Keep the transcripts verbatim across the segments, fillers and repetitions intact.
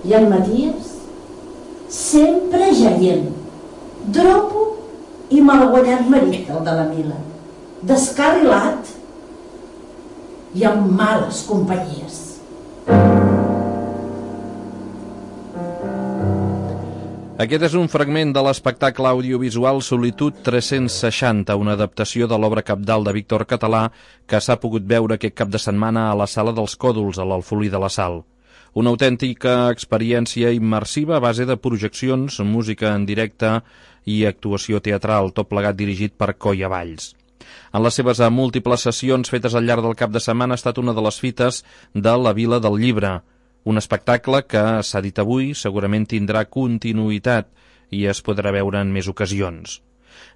I el Maties sempre jaient, dropo i malaguanyat marit, el de la Mila, descarrilat i amb males companyies. Aquest és un fragment de l'espectacle audiovisual Solitud tres-cents seixanta, una adaptació de l'obra cabdal de Víctor Català que s'ha pogut veure aquest cap de setmana a la Sala dels Còdols, a l'Alfolí de la Sal. Una autèntica experiència immersiva a base de projeccions, música en directe i actuació teatral, tot plegat dirigit per Coia Valls. En les seves múltiples sessions fetes al llarg del cap de setmana ha estat una de les fites de la Vila del Llibre, un espectacle que, s'ha dit avui, segurament tindrà continuïtat i es podrà veure en més ocasions.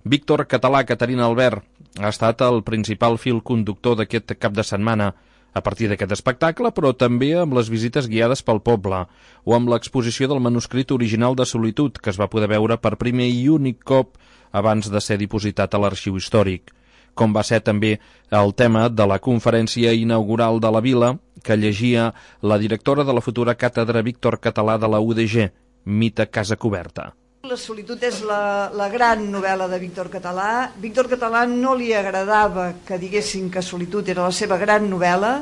Víctor Català, Caterina Albert, ha estat el principal fil conductor d'aquest cap de setmana, a partir d'aquest espectacle, però també amb les visites guiades pel poble, o amb l'exposició del manuscrit original de Solitud, que es va poder veure per primer i únic cop abans de ser dipositat a l'Arxiu Històric, com va ser també el tema de la conferència inaugural de la Vila, que llegia la directora de la futura càtedra Víctor Català de la U D G, Mita Casacoberta. La Solitud és la, la gran novel·la de Víctor Català. Víctor Català no li agradava que diguessin que Solitud era la seva gran novel·la,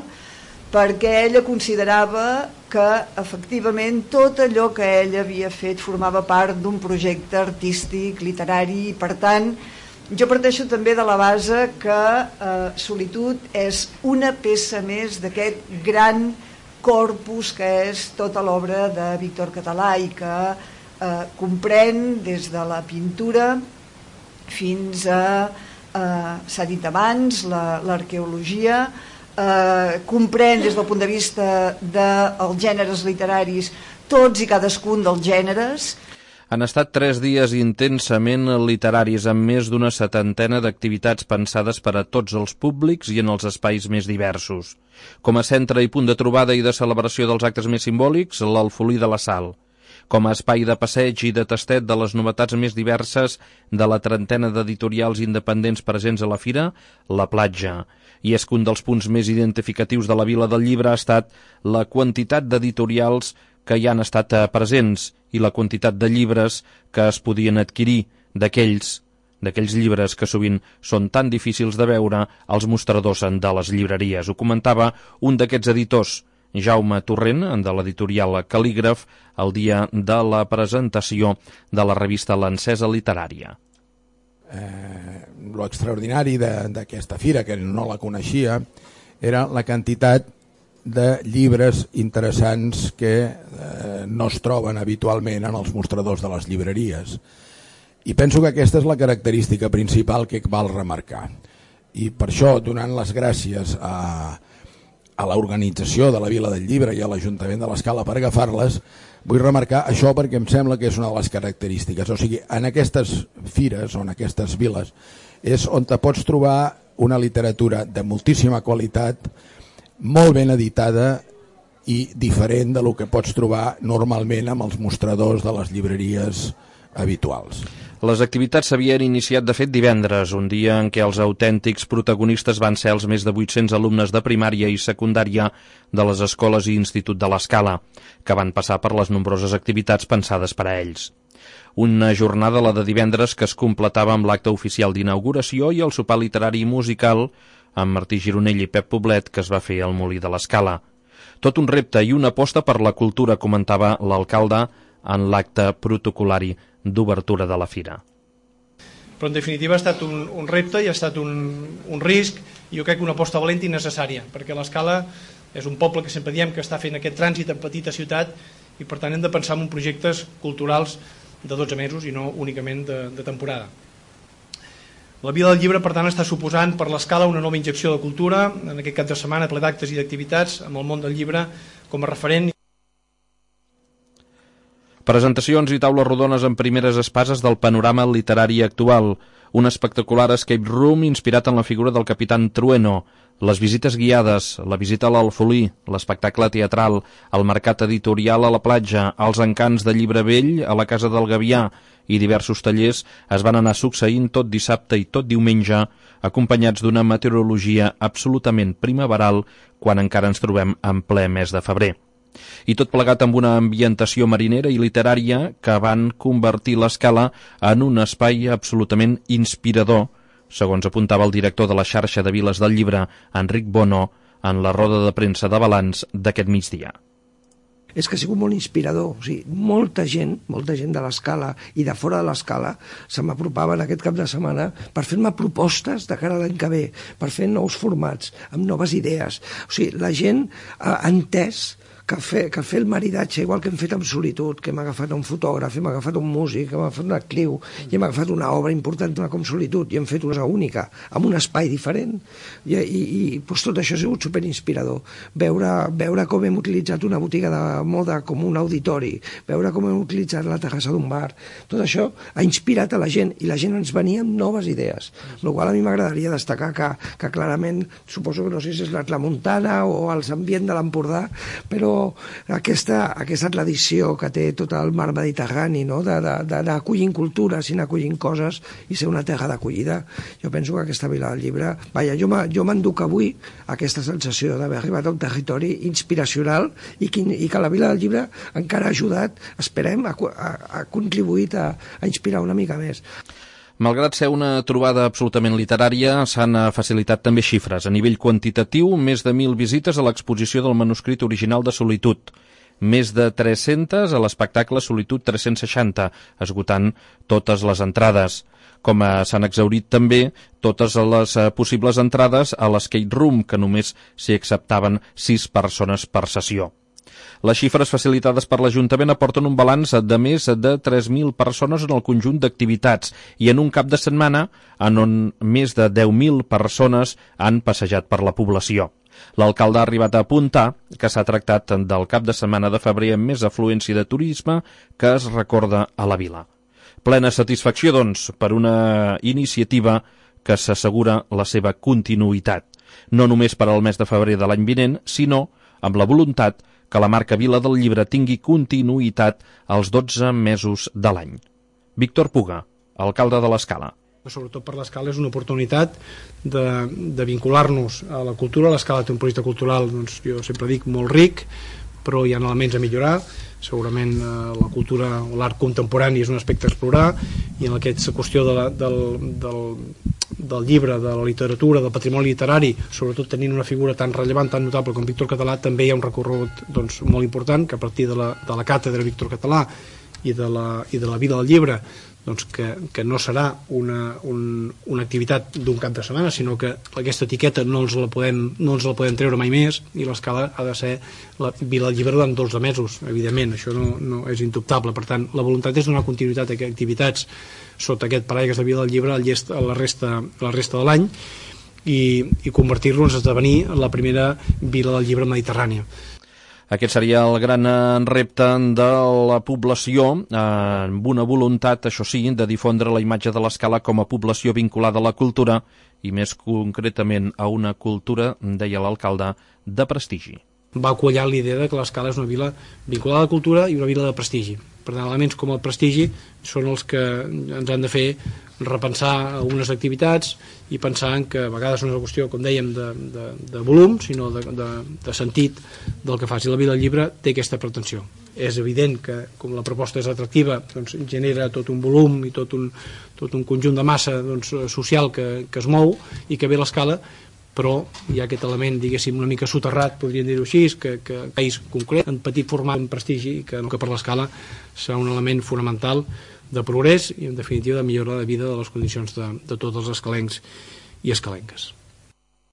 perquè ella considerava que efectivament tot allò que ell havia fet formava part d'un projecte artístic, literari, i per tant jo parteixo també de la base que eh, Solitud és una peça més d'aquest gran corpus que és tota l'obra de Víctor Català i que eh, comprèn des de la pintura fins a, eh, s'ha dit abans, l'arqueologia, eh, comprèn des del punt de vista dels gèneres literaris tots i cadascun dels gèneres. Han estat tres dies intensament literaris amb més d'una setantena d'activitats pensades per a tots els públics i en els espais més diversos. Com a centre i punt de trobada i de celebració dels actes més simbòlics, l'Alfolí de la Sal. Com a espai de passeig i de tastet de les novetats més diverses de la trentena d'editorials independents presents a la fira, la platja. I és que un dels punts més identificatius de la Vila del Llibre ha estat la quantitat d'editorials que hi han estat presents i la quantitat de llibres que es podien adquirir d'aquells d'aquells llibres que sovint són tan difícils de veure als mostradors de les llibreries. Ho comentava un d'aquests editors, Jaume Torrent, de l'editorial Cal·lígraf, el dia de la presentació de la revista L'Encesa Literària. Eh, lo extraordinari d'aquesta fira, que no la coneixia, era la quantitat de llibres interessants que eh, no es troben habitualment en els mostradors de les llibreries. I penso que aquesta és la característica principal que cal remarcar. I per això, donant les gràcies a, a l'organització de la Vila del Llibre i a l'Ajuntament de l'Escala per agafar-les, vull remarcar això perquè em sembla que és una de les característiques. O sigui, en aquestes fires o en aquestes viles és on te pots trobar una literatura de moltíssima qualitat, molt ben editada i diferent de lo que pots trobar normalment amb els mostradors de les llibreries habituals. Les activitats s'havien iniciat de fet divendres, un dia en què els autèntics protagonistes van ser els més de vuit-cents alumnes de primària i secundària de les escoles i institut de l'Escala, que van passar per les nombroses activitats pensades per a ells. Una jornada, la de divendres, que es completava amb l'acte oficial d'inauguració i el sopar literari i musical amb Martí Gironell i Pep Poblet, que es va fer al Molí de l'Escala. Tot un repte i una aposta per la cultura, comentava l'alcalde en l'acte protocolari d'obertura de la fira. Però en definitiva ha estat un, un repte i ha estat un, un risc, i jo crec que una aposta valenta i necessària, perquè l'Escala és un poble que sempre diem que està fent aquest trànsit en petita ciutat i per tant hem de pensar en projectes culturals de dotze mesos i no únicament de, de temporada. La Vila del Llibre, per tant, està suposant per l'Escala una nova injecció de cultura, en aquest cap de setmana ple d'actes i d'activitats amb el món del llibre com a referent. Presentacions i taules rodones en primeres espases del panorama literari actual, un espectacular escape room inspirat en la figura del Capitán Trueno, les visites guiades, la visita a l'Alfolí, l'espectacle teatral, el mercat editorial a la platja, els encants de Llibre Vell a la Casa del Gavià i diversos tallers es van anar succeint tot dissabte i tot diumenge, acompanyats d'una meteorologia absolutament primaveral quan encara ens trobem en ple mes de febrer. I tot plegat amb una ambientació marinera i literària que van convertir l'Escala en un espai absolutament inspirador, segons apuntava el director de la xarxa de Viles del Llibre, Enric Bono, en la roda de premsa de balanç d'aquest migdia. És que ha sigut molt inspirador. O sigui, molta gent, molta gent de l'Escala i de fora de l'Escala se m'apropava en aquest cap de setmana per fer-me propostes de cara a l'any que ve, per fer nous formats, amb noves idees. O sigui, la gent ha entès que fer, que fer el maridatge, igual que hem fet amb Solitud, que hem agafat un fotògraf, hem agafat un músic, hem agafat un actriu, i hem agafat una obra important com Solitud, i hem fet una única, amb un espai diferent. I, i, i doncs tot això ha sigut superinspirador. Veure, veure com hem utilitzat una botiga de moda com un auditori, veure com hem utilitzat la terrassa d'un bar, tot això ha inspirat a la gent, i la gent ens venia amb noves idees. El qual a mi m'agradaria destacar que, que clarament, suposo que no sé si és la Tramuntana o els ambients de l'Empordà, però aquesta, aquesta tradició que té tot el mar Mediterrani, no? d'anar acollint cultures i anar acollint coses i ser una terra d'acollida. Jo penso que aquesta Vila del Llibre, vaja, jo m'enduc avui aquesta sensació d'haver arribat a un territori inspiracional i que, i que la Vila del Llibre encara ha ajudat, esperem, ha, ha, ha contribuït a, a inspirar una mica més. Malgrat ser una trobada absolutament literària, s'han facilitat també xifres. A nivell quantitatiu, més de mil visites a l'exposició del manuscrit original de Solitud. Més de tres-centes a l'espectacle Solitud tres-cents seixanta, esgotant totes les entrades. Com s'han exhaurit també totes les possibles entrades a l'Escape Room, que només s'hi acceptaven sis persones per sessió. Les xifres facilitades per l'Ajuntament aporten un balanç de més de tres mil persones en el conjunt d'activitats i en un cap de setmana en on més de deu mil persones han passejat per la població. L'alcalde ha arribat a apuntar que s'ha tractat del cap de setmana de febrer amb més afluència de turisme que es recorda a la vila. Plena satisfacció, doncs, per una iniciativa que s'assegura la seva continuïtat, no només per al mes de febrer de l'any vinent, sinó amb la voluntat que la marca Vila del Llibre tingui continuïtat als dotze mesos de l'any. Víctor Puga, alcalde de l'Escala. Sobretot per l'Escala és una oportunitat de, de vincular-nos a la cultura. L'Escala té un projecte cultural, doncs, jo sempre dic, molt ric, però hi ha elements a millorar. Segurament eh, la cultura o l'art contemporani és un aspecte a explorar, i en aquesta qüestió de la, del, del, del llibre, de la literatura, del patrimoni literari, sobretot tenint una figura tan rellevant, tan notable com Víctor Català, també hi ha un recorregut, doncs, molt important, que a partir de la, de la càtedra Víctor Català i de la, i de la Vila del Llibre, doncs que, que no serà una, un, una activitat d'un cap de setmana, sinó que aquesta etiqueta no ens la podem, no ens la podem treure mai més, i l'Escala ha de ser la Vila del Llibre durant dotze mesos, evidentment, això no, no és indubtable. Per tant, la voluntat és donar continuïtat a activitats sota aquest paraigües de Vila del Llibre a la resta, a la resta de l'any, i, i convertir-nos a esdevenir la primera Vila del Llibre mediterrània. Aquest seria el gran repte de la població, amb una voluntat, això sí, de difondre la imatge de l'Escala com a població vinculada a la cultura i més concretament a una cultura, deia l'alcalde, de prestigi. Va quallar la idea de que l'Escala és una vila vinculada a la cultura i una vila de prestigi. Per tant, elements com el prestigi són els que ens han de fer repensar algunes activitats i pensar en que a vegades no és una qüestió, com dèiem, de, de, de volum, sinó de, de, de sentit del que faci. La Vila del Llibre té aquesta pretensió. És evident que, com la proposta és atractiva, doncs, genera tot un volum i tot un, tot un conjunt de massa, doncs, social que, que es mou i que ve l'Escala, però hi ha aquest element, diguéssim, una mica soterrat, podríem dir-ho així, que, que un país concret, en petit format, en prestigi, que, que per l'Escala serà un element fonamental de progrés i, en definitiva, de millora de vida de les condicions de, de tots els escalencs i escalenques.